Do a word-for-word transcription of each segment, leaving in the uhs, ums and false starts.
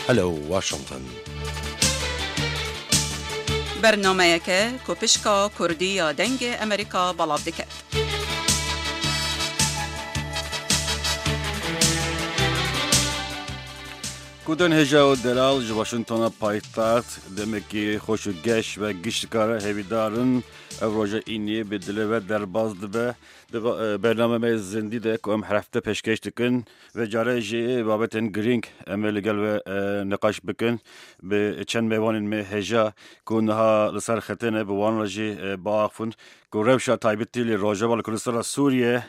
Hello Washington. Bernameyeke ku pişka Kurdî ya Dengê Amerîka belav dike. Guhdarên hêja û delal ji Washingtona paytext, demekî xweş û geş ve gişt dikare hêvîdar in. Ev roja îniyê bi dilê ve derbas dibe. Di va-, e, bername me zindî de ku em her hefte pêşkêş dikin, vê care jî babetên girîng em ê li gel ve, e, niqaş bikin. Bi çend mêvanên me hêja ku niha li ser xetê ne, bi wan re jî, e, biaxivin ku rewşa taybetî li Rojava, li Kurdistana Sûriye,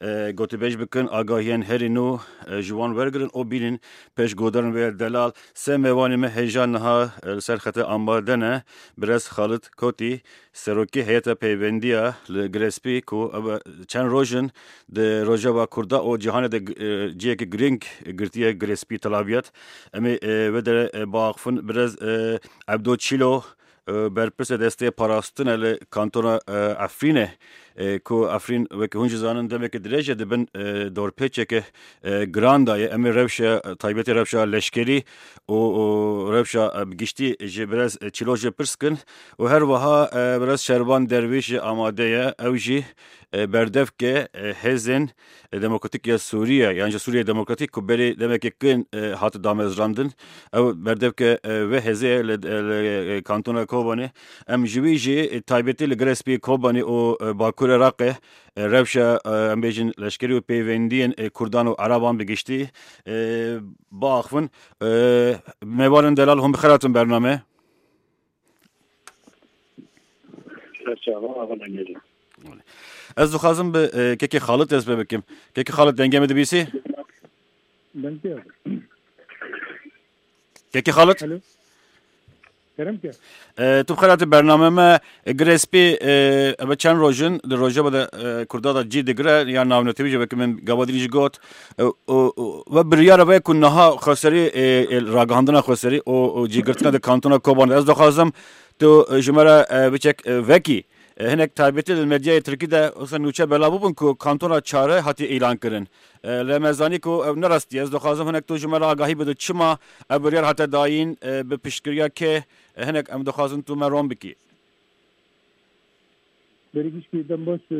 e, gotûbêj bikin, agahiyên herî nû, e, ji wan wergirin û bînin pêş guhdarên wê delal. Sê mêvanê me hêja niha, e, li ser xetê amade ne. Birêz Xalid Kotî, Serokê Heyeta Peyvendiya li Girê Spî ku ev çend roj in di Rojava Kurda û cîhanê de, e, cihekî girîng girtiye Girê Spî Tel Abyad. Em ê, e, vê derê, e, biaxifin. Birêz, e, Ebdo Çîlo, e, berpirsê destê parastinê li kantona, e, Efrînê, e, ku Efrîn, wekî hûn jî zanin, demeke dirêj e, dibin, e, dorpêçeke, e, giran de ye. Em ê rewşa, e, taybetê rewşa leşkerî û, û rewşa, e, bi giştî ji birêz, e, Çîlo jî pirs kin û her wiha, e, birêz Şervan Dervîş jî amade ye. Ew jî, e, berdevke, e, hêzên, e, demokratîk ya Sûriye, yan jî Sûriye Demokratîk ku berê demeke kin, e, hate damezrandin. Ew berdevke, e, vê hêzê ye li, li, e, kantona Kobanê. Em ji wî jî, e, taybetî li Girê Spî Kobanê û, e, Bakurê Iraqê, e, rewşa, e, em bêjin leşkerî û peywendiyên, e, Kurdan û Ereban bi giştî, e, biaxivin. E, mêvanên delal, hûn bi xêr hatin bername. Serçava, ava dengê. Ez dixwazim bi, e, kekê Xalid dest pê bikim. Kekê Xalid, dengê min dibîsî? Dengê. Kekê Xalid? Alo. Kerem ke. E, tu bi xêr hatî bername me, e, Girê Spî, e, eve çend roj in, di rojeva de, e, Kurda de cî digire, ya navnetewî jî wekî min gava dirî jî got. E, û, û, ve biryara ve ku niha xweserî, e, e, ragihandina xweserî û, û cîgirtina di kantona Koban de. Ez dixwazim tu, e, ji me re, e, biçek, e, vekî, e, hinek taybetî li medyayê tirkî de wisa nûçe belav bûbûn ku kantona çare hatiye îlan kirin. E, lê me zanî ku ew ne rastî ye. Ez dixwazim hinek tu ji me re agahî bide, çima ev biryar hate dayîn, e, bi piştgiriya kê, e, hinek em dixwazin tu me ron bikî. Berî gişkî dem baş, e,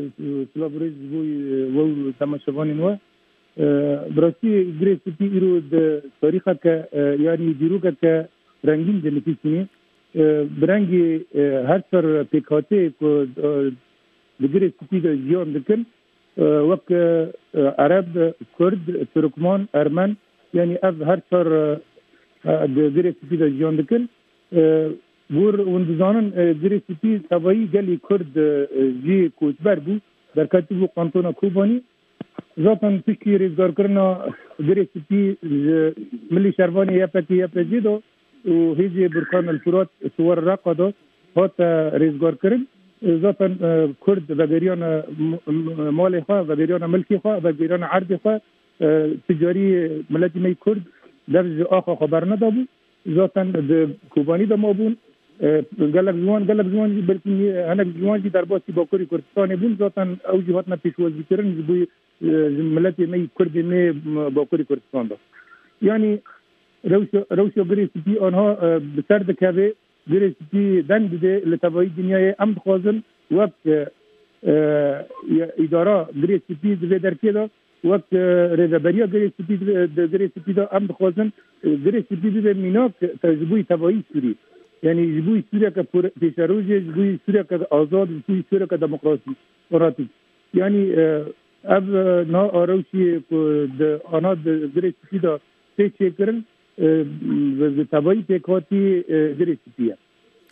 silav û rêz ji bo, e, we û temaşevanên we. E, bi rastî Girê Spî îro di tarîxeke, e, yanî dîrokeke rengîn de nivîsînî. E, bi rengî, e, her çar pêkhateyê ku, e, di Girê Spî de jiyan dikin, e, wek, e, Ereb, Kurd, Turkman, Ermen, yanî ev her çar, e, e, di Girê Spî de jiyan dikin. E, Gor hûn dizanin, e, Girê Spî tevayî gelî Kurd, e, jî koçber bû, derketibû kantona Kobanî. Zaten piştî rêzgarkirina Girê Spî ji milî şervanê Y P G, Y P G de û hêzê Burkan El Furat Suwar Reqa de hate rêzgarkirin. E, zaten, e, Kurd vegeriyane m-, m-, malê xwe, vegeriyane milkê xwe, vegeriyane erdê xwe. E, tu carî miletî me yî Kurd dev ji axa xwe bernedabû. Zaten di Kobanî de mabûn. E, gelek ji wan, gelek ji wan jî belkî nî-, hinek ji wan jî derbasî Bakurê Kurdistanê bûn. Zaten ew jî hatine pêşwazîkirin ji bo, e, ji miletê me yî Kurdê me, m-, Bakurê Kurdistan de. Yanî rewşa, rewşa Girê Spî anha, e, bi ser dikeve, Girê Spî deng dide li tevayî dinyayê. Em dixwazin wek, e, e, îdara Girê Spî di vê derkê de, wek, e, rêveberiya Girê Spî di, di Girê Spî de em dixwazin, e, Girê Spî bibe mînak te-, ji bo tevayî Sûrî. Yanî ji bo Sûriyeke pêşerojê, ji bo Sûriyeke azad, ji bo Sûriyeke demokrasî-, demokratîk. Yanî, e, ev, e, niha arewşî ku di ana di Girê Spî de tê çêkirin, e, bi, bi tevayî pêkhatî, e, Girê Spî ye.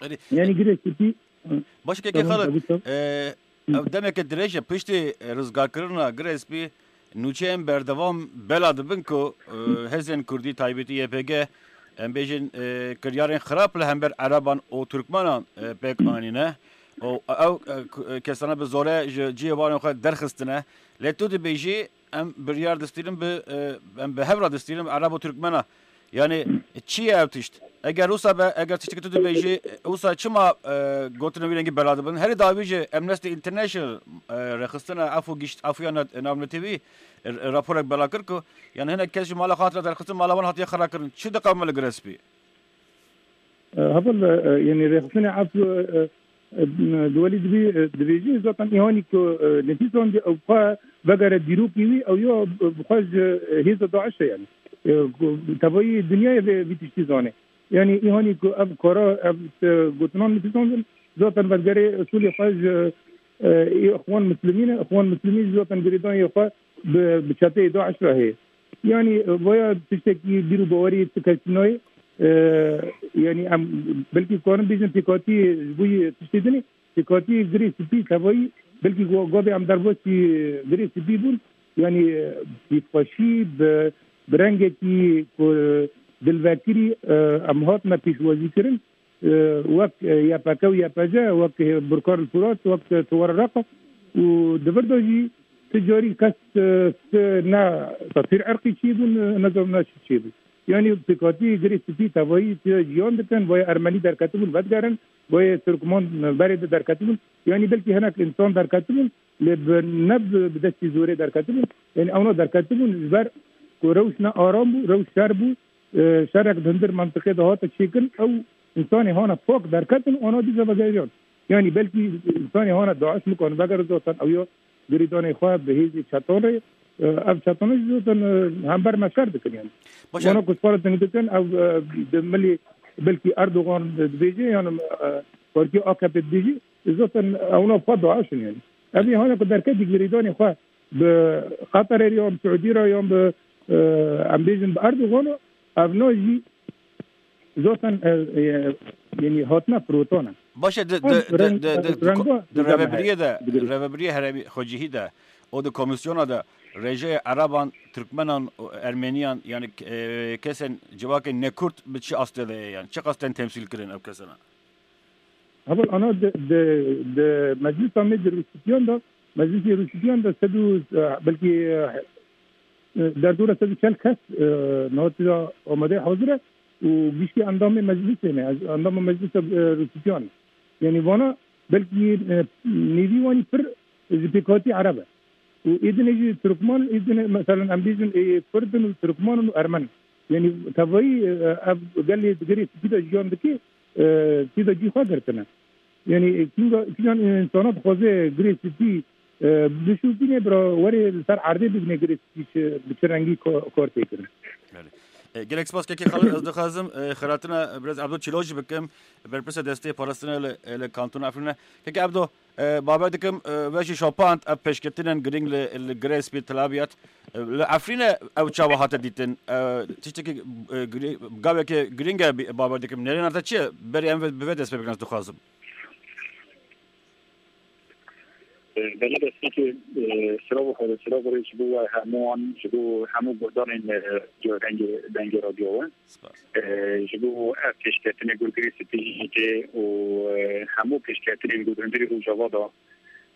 Erê, yanî Girê Spî, e, baş e, kekê Xalid, e, ev demeke dirêj e, piştî, e, rizgarkirina Girê Spî nûçeyên berdewam bela dibin ku, e, hêzên Kurdî, taybetî Y P G, em bêjin, e, kiryarên xirab li hember Ereban û Turkmenan, e, pêk anîne. Û ew, e, ku, e, kesana bi zore ji cihê wan xwe derxistine. Lê tu dibêjî, em biryar distînin bi, e, em bi hev re distînin bi Ereb û Turkmena. Yani çi ye ev tişt? Eger wisa be, eger tiştekî tu dibêjî, wisa çima, e, gotinên wî rengî bela dibin? Herî dawî jî Amnesty International, e, rêxistina efû gişt, efûya na-, navnetewî, e, raporek bela kir ku, yani hinek kes ji mala xwe hatine derxistin, mala wan hatiye xera kirin. Çi diqewime li Girê Spî? E, heval, e, yani rêxistinê efû, e, e, Duwelî dibî, e, dibêjî zaten îhanî ku, e, nefîsandî ew xwe vegere dîrokî wî, ew ya, e, bi xwe ji, e, hêza DAIŞ e yani. E, ku tevayî dinyayê vê, vî tiştî zane. Yani îhanî ku ev kara, ev, e, gotinan nefîsandin, zaten vedigerê usulê xwe ji, e, Îxwan Muslimîn e. Îxwan Muslimîn jî zaten girêdayê xwe bi, bi çeteyê DAIŞ re heye. Yani, e, vaya tiştekî bîr û bawerî tu kesî nayê. E, yani em belkî karin bêjin pêkhatî ji bo yê tiştê dinê, pêkhatî Girê Spî tevayî, belkî go-, gavê em derbasî Girê Spî bûn. Yani, e, bîrxweşî bi, bi rengekî ku dilvekirî, e, em hatine pêşwazî kirin. E, wek, e, Y P G û Y P G, wek, e, Burkan Furat, wek, e, Tuwar Reqa û di vir de jî ti carî kes, e, ti ne teswîr irqî çêbûn, e, ne zor ne çi çêbûn. Yani pêkhatî Girê Spî tevayî ti jiyan dikin, boya Ermenî derketibûn vedigerin, boya Tirkman berê de derketibûn. Yani belkî hinek însan derketibûn, lê bi, ne bi, bi destî zorê derketibûn. Yani ewna derketibûn ji ber ku rewş ne aram bû, rewş şer bû. E, şerek di hundir mentiqê de hate çêkirin, ew însanê hana pak derketin, ana dîsa vegeriyan. Yani belkî însanê hana DAIŞ nikane vegere zaten ew ya girêdanê xwe bi hêzê çetan re, e, ev çetana jî zaten, e, hember me şer dikin yani. Baş e. Wana ku ji xwe re deng dikin, ew, e, di milê belkî Erdogan dibêje, yani, e, partiya A K P dibêje, zaten ewna xwe DAIŞ in yani. Ev ê hane ku derketî girêdanê xwe bi Qatarê re yan bi Siûdî re yan bi, e, em bêjin bi Erdogan re, ev na jî zaten, e, e, yani hatine firotan e. Baş e, di, Ev di, di, reng-, di, di, di, renga di rêvebiriyê de, digirî. Rêvebiriyê herêmî xwecihî de, o di komîsyona de rêjeyê Ereban, Tirkmenan û Ermeniyan, yani, e, kesên civakên nekurd bi çi astê de ye, yani çi qas tên temsîl kirin ev kesana? Heval ana di, di, di meclisa me di Rûspîtiyan de, meclisê Rûspîtiyan de sed û, e, belkî, e, derdora sed û çel kes, e, niha tira amadeyê hazir e û giştî endamê meclisê ne, endama meclisa, e, Rûspîtiyan. Yani vana belkî, e, nêvî wanî pir ji pêkhatî Ereb e. Û êdinê jî Tirkman, êdinê, meselen, em bêjin, ê Kurd in û Tirkman in û Ermen in. Yanî tevayî, e, ev gelê di Girê Spî de jiyan dike, e, tê de cî xwe girtine. Yanî, e, kînga, kîjan însana dixwaze Girê Spî, e, bişopîne, bira werê li ser erdê bibîne Girê Spî çi, bi çi rengî ka-, kar tê kirin. Belê. E, gelek spas Kekê Xalid, ez dixwazim, e, xiratina Birêz Ebdo Çîlo jî bikim, berpirsê destê parastina li, li Kantona Efrînê. Kekê Ebdo, E, bawer dikim, e, we jî şopand ev pêşketinên girîng li, li Girê Spî tila biyat. E, li Efrînê ew çawa hate dîtin? E, tiştekî, e, girî-, gaveke girîng e bi-, bawer dikim. Nêrîna te çi ye? Berî em ve, bi vê dest pê bikin, ez dixwazim. E, belê destpêkê, e, sirov xwe, sirov rê ji bo we hemû wan, ji bo hemû guhdarên, e, dengê, dengê radyo we. Spas. E, ji bo ev pêşketinê ku Girê Spî jî tê û, e, hemû pêşketinên ku di hundirê Rojava de,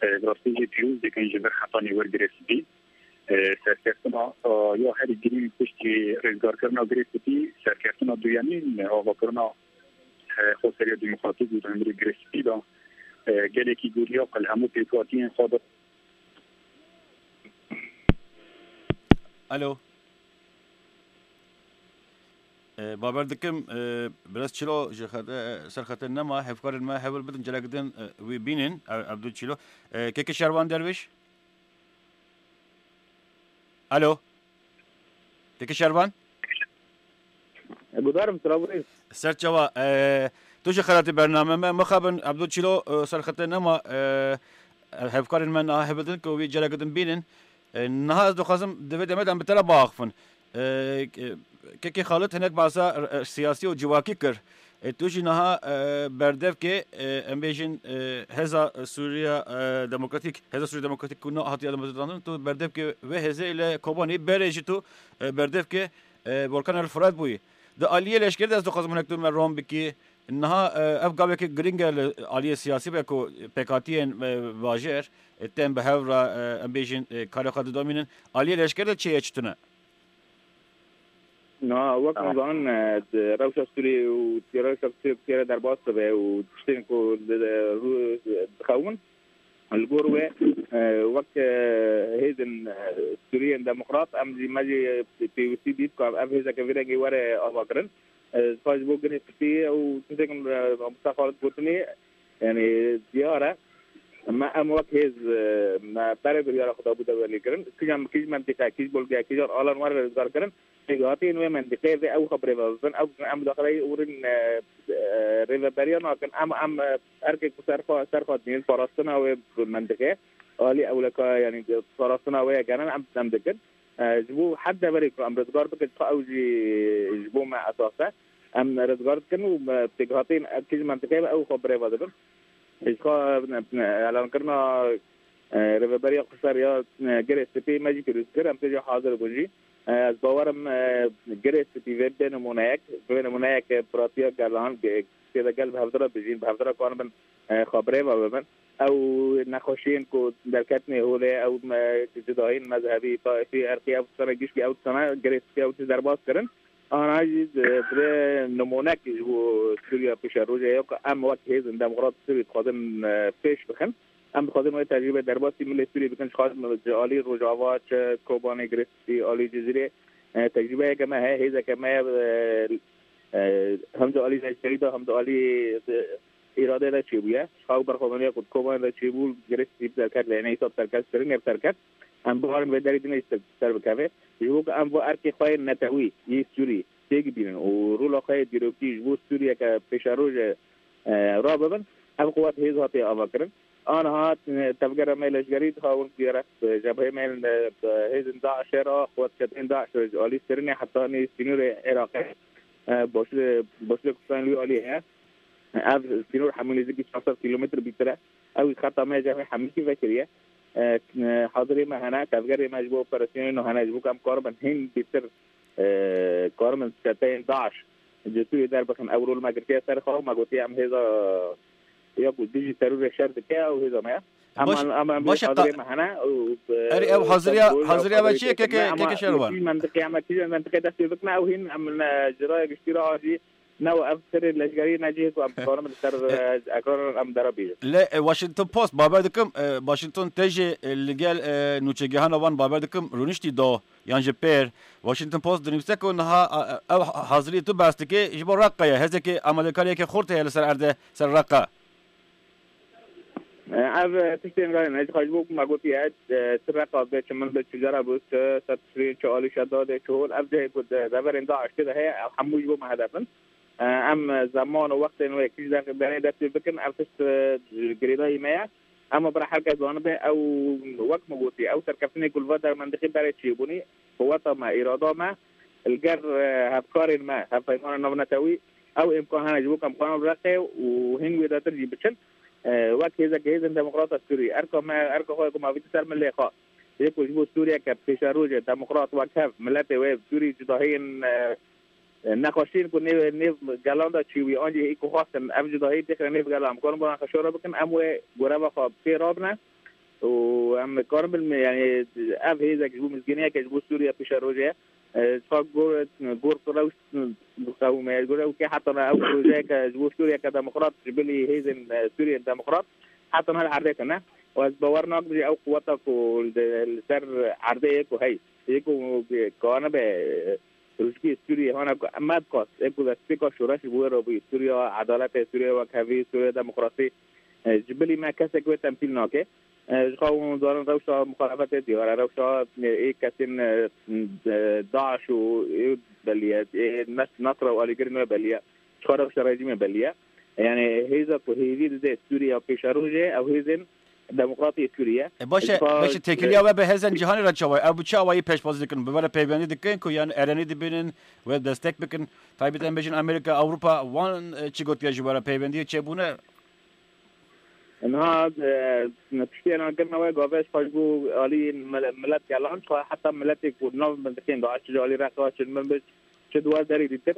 e, bi rastî jî pîroz dikin ji vir hetanî wir Girê Spî. E, serkeftina, e, ya herî girîng piştî rizgarkirina Girê Spî, serkeftina duyemîn, e, avakirina, e, xweseriya demokratîk û di hundirê Girê Spî de, e, gelekî goriya qil hemû pêkhatiyên xwe de. Alo. E, bawer dikim, e, Birêz Çîlo ji xete, ser xete nema, hevkarên me hewl bidin, carek din, e, wî bînin, e, Ebdul Çîlo. E, Kekê Şervan Derviş? Alo? Kekê Şervan? E, guhdarim, silav birêz. Ser çawa, e, tu ji xelatê bername me, mixabin Ebdul Çîlo, e, ser xete nema, e, hevkarên me niha hebidin ku wî carek din bînin. E, niha ez dixwazim di vê demê de em bi te re biaxifin. E, ke-, Kekê Xalid hinek behsa, e, siyasî û civakî kir. E, tu jî niha, e, berdevkê, e, em bêjin, e, Hêza Sûriya, e, Demokratîk, Hêza Sûriya Demokratîk ku niha hatiye damezrandin, tu berdevkê vê hêzê li Kobanê, berê jî tu, e, berdevkê, e, Volkan El Furat bûyî. Di aliyê leşkerî de ez dixwazim hinek tu me rom bikî. Niha, e, ev gaveke girîng e li aliyê siyasî ve ku pêkhatiyên, e, bajêr, e, tên bi hev re, e, em bêjin, e, karê xwe didomînin. Aliyê leşkerî de çi ye, çi tune? Niha wek Aha. hûn zanin, e, di rewşa Sûriyê û di rewşa Sûriyê ku têre derbas dibe û tiştên ku di, di, rû-, dixewin, li gor wê, e, wek, e, hêzên, e, Sûriyên Demokrat, em jî, me jî pêwîstî dît ku ev hêzeke vî rengî were avakirin. E, ji xwe ji bo Girê Spî û tiştên, e, Musa Xalid gotinê, yanî diyar e. Me, em wek hêz, e, me berê biryara xwe dabû dewelêkirin. Kîjan, kîj mentiqe, kîj bolgeya, kîjan alan were rizgarkirin. Pêkhatiyên wê mentiqê vê ew xwe birêve bibin. Ew em daxileyî ûrin, e, e, rêveberiya nakin. Em, em, e, erkek bi ser xwe, ser xwe dînin parastina wê mentiqê. Alî ewleka, yanî parastina wê ye genin, em, em dikin. E, ji bo her deverê ku em rizgar bikin, ji xwe ew jî ji bo me esas e. Em rizgar dikin û me pêkhatiyên kîj mentiqê ew xwe birêve dibin. Ji xwe, e, elankirina, e, rêveberiya xweser ya, e, Girê Spî me jî pêroz kir, em tê jî hazir bûn jî. E, ez bawerim, e, Girê Spî vê bê nimûneyek, vê nimûneyek, e, piratiya gelan, ge-, tê de gel bi hevdira bijîn, bi hevdira kanibin, e, xwe birêve bibin. Ew nexweşiyên ku derketine holê, ew me-, cudahiyên mezhebî, taifî, erqî, ew tiştane gişkî, ew tiştane Girê Spî ew tişt derbas kirin. Ana jî di, di vê nimûnek ji bo Sûriya pêşerojê ye ku em wek hêzên demokrat Sûrî dixwazin, e, pêş bixin. Em dixwazin wê tecrûbe derbasî milê Sûrî bikin, ji xwe ji alî Rojava, çi Kobanê, Girê Spî, alî Cizîrê, e, tecrûbeyeke me heye, hêzeke me ye, e, e, hem di alî leşkerî de, hem di alî, e, îradê de çêbûye. Ji xwe ew berxwedaniya ku di Kobanê de çêbû, Girê Spî bi derket lê ne, îsab derket kirin, ê bi derket. Em biwarin vê derî din jî ser, ser bikeve. Ji bo ku em va erkê xwe yên netewî yê Sûrî têk bînin û rola xwe yê dîrokî ji bo Sûriyeke pêşerojê, e, rabibin, ev quwet hêz hatiye avakirin. Aniha, e, tevgera me leşgerî dixawin ku gerek, e, jebheyê me, e, hêzên DAIŞê re, quwet çeteyên DAIŞ re ji alî Sirînê hetanî sînorê Iraqê, e, boşlê-, boşlê Kurdistan li wî alî heye. Ev sînor hemû nêzîkî çar sed kîlometr bîtir e. Ew xeta me ji hemîkî vekiriye. E, e, hazirê me hene, tevgerê me ji bo operasyonên nû hene, ji bo ku em karibin hîn bêtir, e, karibin çeteyên DAIŞ ji Sûriyê derbixin. Ew rol me girtiye ser xwe û me gotiye em hêza ya ku dijî terorê şer dike, ew hêza me ye. Em, Baş-, em, em baş e, hazirê qa-, me hene û, e, erê, ew haziriya, ser rol haziriya ew ve çi ye, hazirê keke, me, keke ama Şerwan? Kî mentiqê, em kî mentiqê dest pê bikine, ew hîn em, e, ciraya giştî re a jî ne û ev serê leşgerî ne cihê ku em dikarin li ser, e, ekran em dera bînin. Lê, e, Washington Post, bawer dikim, e, Washington te jî, e, li gel, e, nûçegihana wan bawer dikim, rûniştî do, yan ji pêr. Washington Post dinivîse ku niha, e, ew hazirî tu behs dikê, ji bo Reqqa ye. Hêzekê amadekariyeke xurt heye li ser erdê, ser Reqqa. E, ev, e, tiştên re ne, ji xwe ji bo ku me gotiye, e, çi Reqa be, çi min be, çi Cera be, çi Ser Tişrîn, çi Alî Şedadê, çi Hol, ev cihê ku de-, deverên DAIŞ tê de heye, ev hemû ji bo me hedef in. E, em, e, zeman û wextên wê kî ji derê dest pê bikin, ev tişt, e, girêdayî me ye. Em ê bira her kes zanibe, ew wek me gotî, ew serkeftinê ku li va dermendiqî berê çêbûnî, quweta me, îrada me, li gel, e, hevkarên me, hevpeymanên navnetewî, ew îmkan hene ji bo ku em karin Reqê û hîn wêdetir jî biçin. E, wek hêzeke hêzên demokrata Sûrî, erka me, erka xwe ku mavîtî ser milê xwe, yê ku ji bo Sûriyeke pêşerojê demokrat wek hev, miletê wê Sûrî cudahiyên, e, e, nexweşiyên ku nêv, nêv gelan de çêbûye, an jî hê ku xwestin ev cudahiyê têxine nêv gelan, em karin bo xwe şore bikin, em wê goreva xwe pê rabine û em karin bin, yanî ev hêzek ji bo mizgîniyeke ji bo Sûriye pêşerojê ye. E, ji xwe gor, gor rewş, qewime, gor ew ke heta ne ew projeyeke ji bo Sûriyeke demokrat ji bilî hêzên, e, Sûriyên demokrat heta ne li erdê tune. Û ez bawer nakim jî ew quweta ku li, li ser erdê yê ku hey, yê ku kanibe, e, rojkê Sûriyê hana ku me dikas, yê ku destpêka şoreş ji bo wê re bûyî. Sûriya edaletê, Sûriya wekhevî, Sûriya demokrasî, e, ji bilî me kesek wê temsîl nake. E, ji xwe hûn zanin rewşa muxalefetê diyar e, rewşa, e, ê kesên, e, e, DAIŞ û ê belî ye, ê Nes-, Nesra û alîgirên wê belî ye. Ji xwe rewşa rejîmê belî ye. Yanî hêza ku hêvî dide Sûriya pêşerojê, ew hêzên demokratê Sûriye. E, baş e, Ji xwe baş e, têkiliya we bi hêzên cîhanê re çawa ye? Ew bi çi awayî pêşwazî dikin? Bi we re peywendî dikin ku yan erenî dibînin, we destek bikin? Taybet em bêjin Amerîka, Ewropa, wan, e, çi gotiye ji we re peywendiyê çêbûne? Niha, e, piştî elankirina wê gavê ji xwe ji bo alî mil-, milet gelan, xwe heta miletê ku nav mintîqên de, çi ji alî Reqa, çi min bi, çi di wer derî dîtir,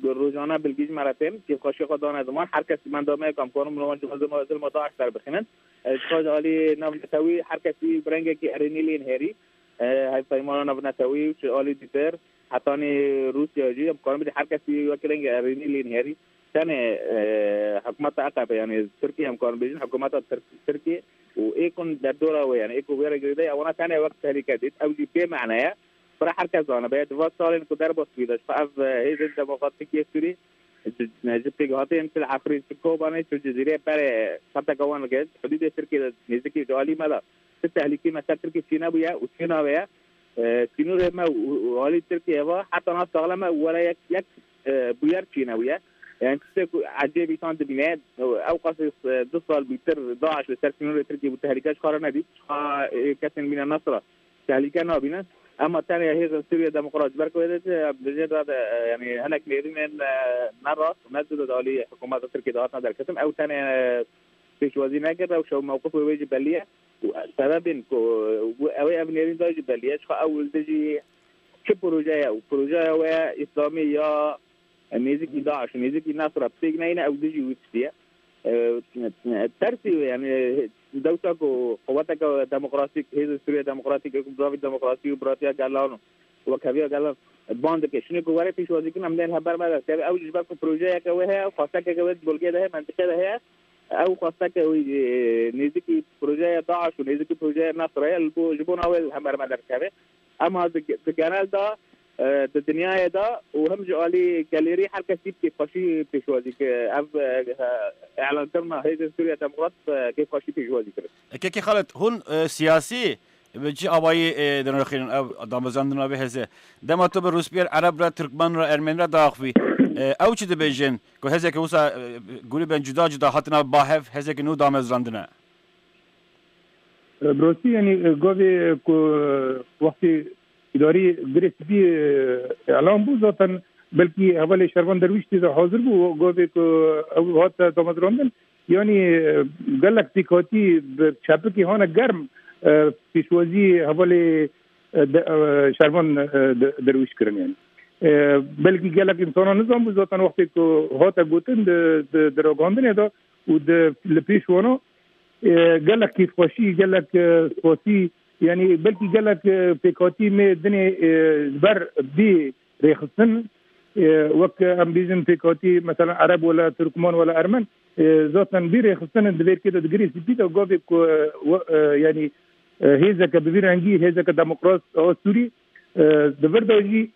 rojane bilgî ji me re tên, kêfxweşiya xwe dane ziman, her kes menda me ye ku em karin bi wan ji zilma, zilma DAIŞ derbixînin. E, ji xwe ji alî navnetewî her kesî bi rengekî erênî lê nihêrî. E, hevpeymana navnetewî û ji alî dîtir, Hetanî Rûsya jî em karin bêjin her kesî wek rengê erênî lê nihêrî. Tenê, e, hikûmeta A K P, yanî Tirkiye em karin bêjin, hikûmeta Tirk-, Tirkiye û ê ku derdora wê, yanî ê ku wê re girêdayî, ewana tenê wek tehlîke dît. Ew jî bê mane ye. Bira her kes zanibe, di van salên ku derbas bûye de, ji xwe ev, e, hêzên demokratîk yê Sûrî ji, ji pêkhateyên Til Efrîn, Til Kobanê, Til Cizîrê berê xeteke wan li gel hudûdê Tirkiyê de nêzikî ji alî me de ti tehlîkê me ser Tirkiyê çênebûye û çênabe ye. E, sînorê me û, û alî Tirkiyê ve heta niha saxlem e û were yek, yek, e, bûyer çênebûye. Yani tiştê ku ecêb îsan dibîne, ew qasî, e, du sal bûtir DAIŞ li ser sînorê Tirkiyê bû, tehlîke ji xwe re nedît. Ji xwe, e, kesên bîne Nesra tehlîke nabînin. Ema tenê hêzên Sûriye Demokrat ji ber ku wê dê, em dibêjin, e, yani hinek nêrînên, e, ne rast û ne dide di alî hikûmeta Tirkiyê de hatina derketin. Ew tenê, e, pêşwazî nekir, ew şew mewqifê wê jî belî ye. Û sebebên ku, e, ew ê ev nêrîn da jî belî ye. Ji xwe ew li dijî çi proje ye û projeya wê îslamî ya nêzîkî DAIŞ, nêzîkî Nesra pêk neyne, ew dijî wî tiştî ye. E, tersî wê, yani, dewsa ku quweteke demokratîk, hêzên Sûriye Demokratîk, ku bi navê demokrasî û biratiya gelan û wekheviya gelan ban dike. Şinê ku were pêşwazî kirin, em nên hember me derkeve. Ew jî ji ber ku projeyeke wê heye, xwestekeke wê di bolgê de heye, mentiqê de heye. Ew xwesteke wî, e, nêzîkî projeya DAIŞ û nêzîkî projeya Nesra ye, li bo, ji bona wê li hember me derkeve. Ema di, di genel de, e, di dinyayê de û him ji alî gelêrî her kesî kêfxweşî pêşwazî kir. Ev, e, îlankirina Hêzên Sûriya Demokrat, e, kêfxweşî pêşwazî kirin. Kekê Xalid, hûn, e, siyasî bi çi awayî, e, dinirxînin ev damezrandina vê hêzê? Dema tu bi Rûspiyê, Ereb re, Tirkmen re, Ermeni re diaxivî, e, ew çi dibêjin? Ku hêzeke wisa, e, grûbên cuda cuda hatine ba hev, hêzeke nû damezrandine. E, bi rastî, yanî, e, gavê ku, e, wextê îdarî Girê Spî, e, îlan bû, zaten belkî hevalê Şervan Derwîş tê de hazir bû, gavê ku ew hate damezrandin, yanî, e, gelek pêkhatî bi çepikê hane germ, e, pêşwazî hevalê, e, de, e, Şervan, e, de, Derwîş kirin, yanî. E, belkî gelek însanan nizanbû, zaten wextê ku hate gotin di, di, di ragandinê de û di, li pêş wana, e, gelek kêfxweşî, gelek, e, spasî, yanî belkî gelek, e, pêkhatî me dinê, e, ji ber bê rêxistin, e, wek em bêjin pêkhatî, mesela Ereb wela Tirkman wela Ermen, e, zaten bê rêxistin di vê rikê de di Girê Spî de gavê ku, e, we-, e, yanî, e, hêzeke bi vî rengî, hêzeke demokrat a Sûrî, e, di vir de jî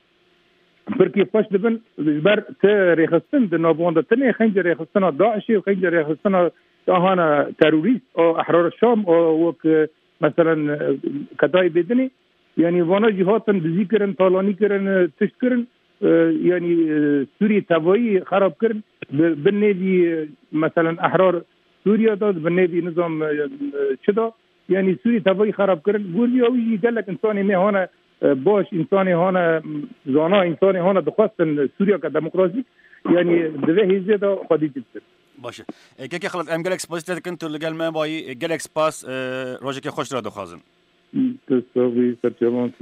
pir kêfxweş dibin, ji ber ti rêxistin di nav wan de tune, xencê rêxistina DAIŞê û xencê rêxistina ahana terorîst, a Ehrar Şam, a wek, e, meselen, e, Ketayê Bêdinê, yanî vana jî hatin dizî kirin, talanî kirin, e, tişt kirin, e, yanî, e, Sûriyê tevayî xerab kirin, bi, bi nêvî, e, meselen Ehrar Sûriya de, bi nêvî nizam, e, e, çi de, yanî Sûrî tevayî xerab kirin. Gor vî ew jî gelek însanê me hane, e, baş, însanê hane, m, zana, însanê hane dixwestin Sûriyeke demokratîk, yanî di vê hêzê de xwedî dibin. Baş e. E, Kekê Xelef, em gelek spasî te dikin, tu li gel me bayî, e, gelek spas, e, rojekê xweş tu re dixwazin. Tu sax bî, serçevan.